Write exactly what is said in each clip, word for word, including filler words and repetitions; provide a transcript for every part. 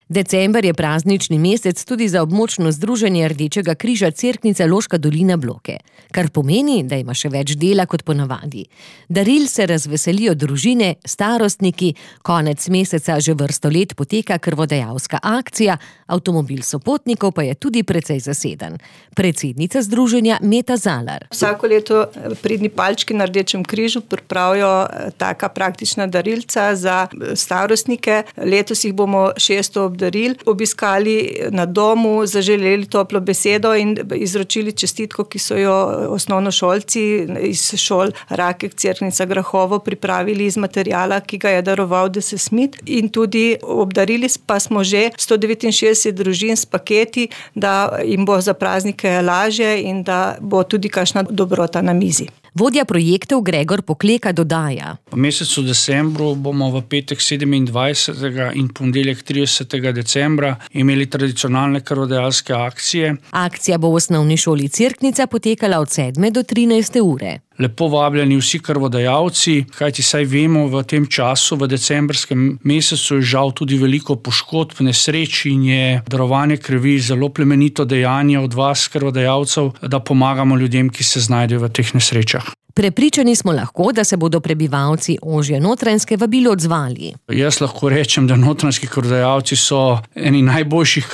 December je praznični mesec tudi za območno združenje Rdečega križa Cerknica Loška dolina Bloke, kar pomeni, da ima še več dela kot ponavadi. Daril se razveselijo družine, starostniki, konec meseca že vrsto let poteka krvodajalska akcija, avtomobil sopotnikov pa je tudi precej zaseden. Predsednica združenja Meta Zalar. Vsako leto pridni palčki na Rdečem križu pripravijo taka praktična darilca za starostnike. Letos jih bomo šeststo obdarili, obiskali na domu, zaželeli toplo besedo in izročili čestitko, ki so jo osnovnošolci iz šol Rakek, Cerknica, Grahovo pripravili iz materijala, ki ga je daroval D S Smith, in tudi obdarili pa smo že sto devetinšestdeset družin s paketi, da jim bo za praznike lažje in da bo tudi kakšna dobrota na mizi. Vodja projektov Gregor Pokleka dodaja. V mesecu decembru bomo v petek sedemindvajsetega in ponedeljek tridesetega decembra imeli tradicionalne krvodajalske akcije. Akcija bo v osnovni šoli Cerknica potekala od sedme do trinajste ure. Lepo vabljeni vsi krvodajalci, kajti saj vemo, v tem času, v decembrskem mesecu je žal tudi veliko poškodb, nesreč in je darovanje krvi zelo plemenito dejanje od vas, krvodajalcev, da pomagamo ljudem, ki se znajdejo v teh nesrečah. Prepričani smo lahko, da se bodo prebivalci ožje Notranjske vabilo odzvali. Jaz lahko rečem, da notranjski krvodajalci so eni najboljših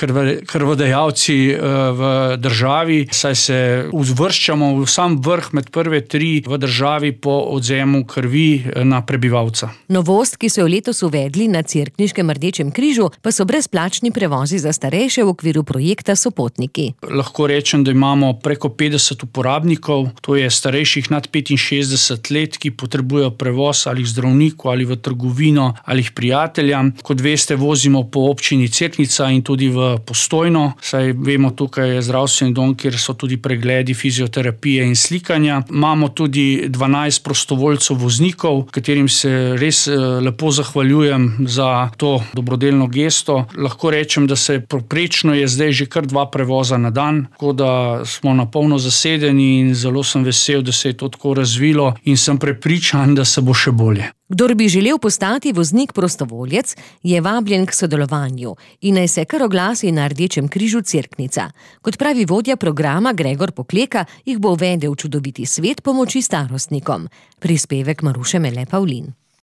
krvodajalci v državi, saj se uvrščamo v sam vrh med prve tri v državi po odvzemu krvi na prebivalca. Novost, ki so jo letos uvedli na Cerkniškem Rdečem križu, pa so brezplačni prevozi za starejše v okviru projekta Sopotniki. Lahko rečem, da imamo preko petdeset uporabnikov, to je starejših nad petinšestdeset let, ki potrebujejo prevoz ali k zdravniku ali v trgovino ali k prijateljem. Kot veste, vozimo po občini Cerknica in tudi v Postojno, saj vemo, tukaj je zdravstveni dom, kjer so tudi pregledi, fizioterapije in slikanja. Imamo tudi dvanajst prostovoljcev voznikov, katerim se res lepo zahvaljujem za to dobrodelno gesto. Lahko rečem, da se povprečno je zdaj že kar dva prevoza na dan, tako da smo na polno zasedeni in zelo sem vesel, da se je to tako razvilo in sem prepričan, da se bo še bolje. Kdor bi želel postati voznik prostovoljec, je vabljen k sodelovanju in naj se kar oglasi na Rdečem križu Cerknica. Kot pravi vodja programa Gregor Pokleka, jih bo uvedel v čudoviti svet pomoči starostnikom. Prispevek Maruše Mele Pavlin.